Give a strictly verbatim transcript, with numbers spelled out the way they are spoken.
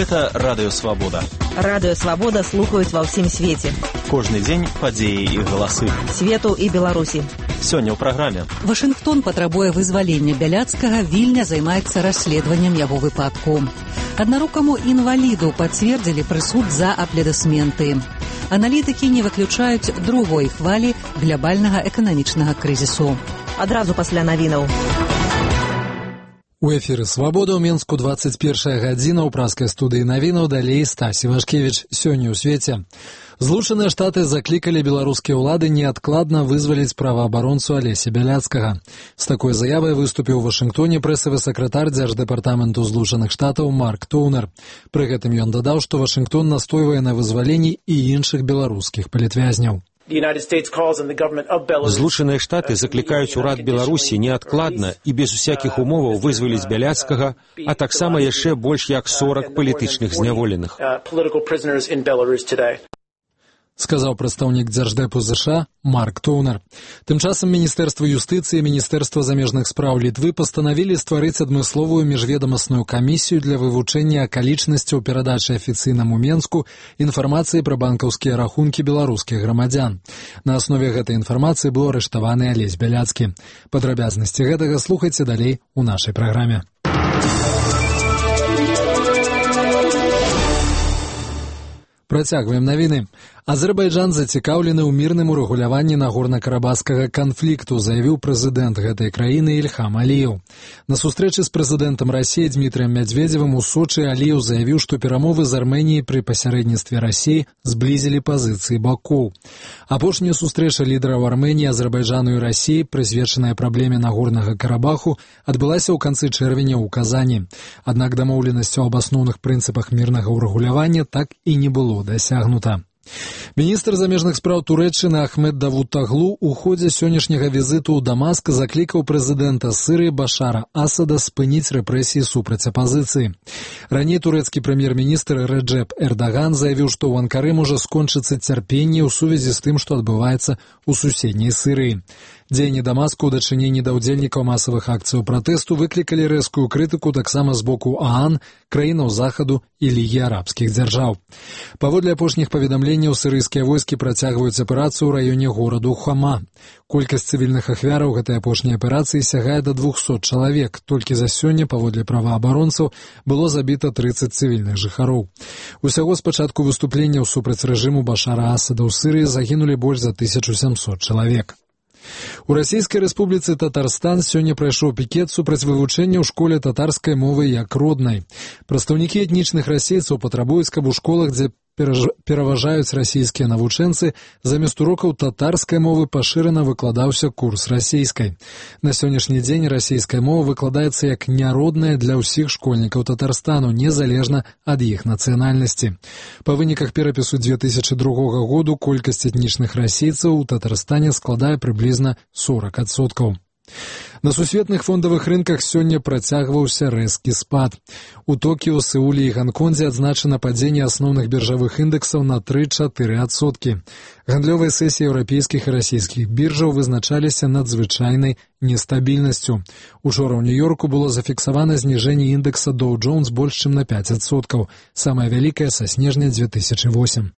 Гэта Радыё Свабода. Радыё Свабода слухаюць ва ўсім свеце. Кожны дзень падзеі і галасы. Свету і Беларусі. Сёння ў праграме. Вашынгтон патрабуе вызвалення Бяляцкага, Вільня займаецца расследаваннем яго выпадку. Аднарукаму інваліду пацвердзілі прысуд за аплодысменты. Аналітыкі не выключаюць другой хвалі глобальнага эканамічнага крызісу. Адразу пасля навінаў. У эфіры «Свабода» ў Менску двадцать першая гадзіна, ў праскай студыі навінаў, далей Стасі Вашкевіч. Сёння ў свеце. Злучаныя Штаты заклікалі беларускія ўлады неадкладна вызваліць праваабаронцу Алеся Бяляцкага. З такой заявай выступіў у Вашынгтоне прэсавы сакратар Дзярждэпартаменту Злучаных Штатаў Марк Тоўнер. Пры гэтым ён дадаў, што Вашынгтон настойвае на вызваленні і іншых беларускіх палітвязняў. Злучаныя Штаты заклікаюць урад Беларусі неадкладна і без усякіх умоваў вызваліць Бяляцкага, а таксама яшчэ больш як сорок палітычных зняволеных. Сказаў прадстаўнік Дзярждэпу ЗША Марк Тоўнер. Тым часам Міністэрства юстыцыі і Міністэрства замежных спраў Літвы пастанавілі стварыць адмысловую міжведамасную камісію для вывучэння акалічнасцяў перадачы афіцыйнаму Менску інфармацыі пра банкаўскія рахункі беларускіх грамадзян. На аснове гэтай інфармацыі быў арыштаваны Алесь Бяляцкі. Падрабязнасці гэтага слухайце далей у нашай праграме. Працягваем навіны. Азербайджан зацікаўлены ў мірным урэгуляванні нагорна-карабахскага канфлікту, заявіў прэзідэнт гэтай краіны Ільхам Аліеў. На сустрэчы з прэзідэнтам Расіі Дмітрыем Мядзведзевым у Сочы Аліеў заявіў, што перамовы з Арменіяй пры пасярэдніцтве Расіі зблізілі пазіцыі бакоў. Апошняя сустрэча лідараў Арменіі, Азербайджану і Расіі, прысвечаная праблеме Нагорнага Карабаху, адбылася ў канцы чэрвеня ў Казані. Аднак дамоўленасцю аб асноўных прынцыпах мірнага ўрэгулявання так і не было дасягнута. Міністр замежных спраў Турэччыны Ахмед Давутаглу ў ходзе сённяшняга візіту ў Дамаск заклікаў прэзідэнта Сырыі Башара Асада спыніць рэпрэсіі супраць апазіцыі. Раней турэцкі прэм'ер-міністр Рэджэп Эрдаган заявіў, што ў Анкары можа скончыцца цярпенне ў сувязі з тым, што адбываецца ў суседняй Сырыі. Дзеянні Дамаску ў дачыненні да ўдзельнікаў масавых акцыяў пратэсту выклікалі рэзкую крытыку таксама з боку ААН, краінаў Захаду і Лігі арабскіх дзяржаў. Паводле апошніх паведамленняў, сірыйскія войскі працягваюць аперацыю ў раёне гораду Хама. Колькасць цывільных ахвяраў гэтай апошняй аперацыі сягае да двухсот чалавек. Толькі за сёння, паводле праваабаронцаў, было забіта трыццаць цывільных жыхароў. Усяго з пачатку выступленняў супраць рэжыму Башара Асада ў Сырыі загінулі больш за тысячу сямсот чалавек. У Расійскай Рэспубліцы Татарстан сёння прайшоў пікет супраць вывучэння ў школе татарскай мовы як роднай. Прадстаўнікі этнічных расейцаў патрабуюць, каб у школах, дзе пераважаюць расійскія навучэнцы, замест урокаў татарскай мовы пашырана выкладаўся курс расійскай. На сённяшні дзень расійская мова выкладаецца як няродная для ўсіх школьнікаў Татарстану, незалежна ад іх нацыянальнасці. Па выніках перапісу две тысячы другога году колькасць этнічных расейцаў у Татарстане складае прыблізна сорок адсоткаў. На сусветных фондавых рынках сёння працягваўся рэзкі спад. У Токіо, Сеуле і Ганкондзе адзначана падзенне асноўных біржавых індэксаў на тры-чатыры адсоткі. Гандлёвыя сесіі еўрапейскіх і расійскіх біржаў вызначаліся надзвычайнай нестабільнасцю. Учора ў Нью-Йорку было зафіксавана зніжэнне індэкса Dow Jones больш чым на пяць адсоткаў, самае вялікае са снежня две тысячы восьмым.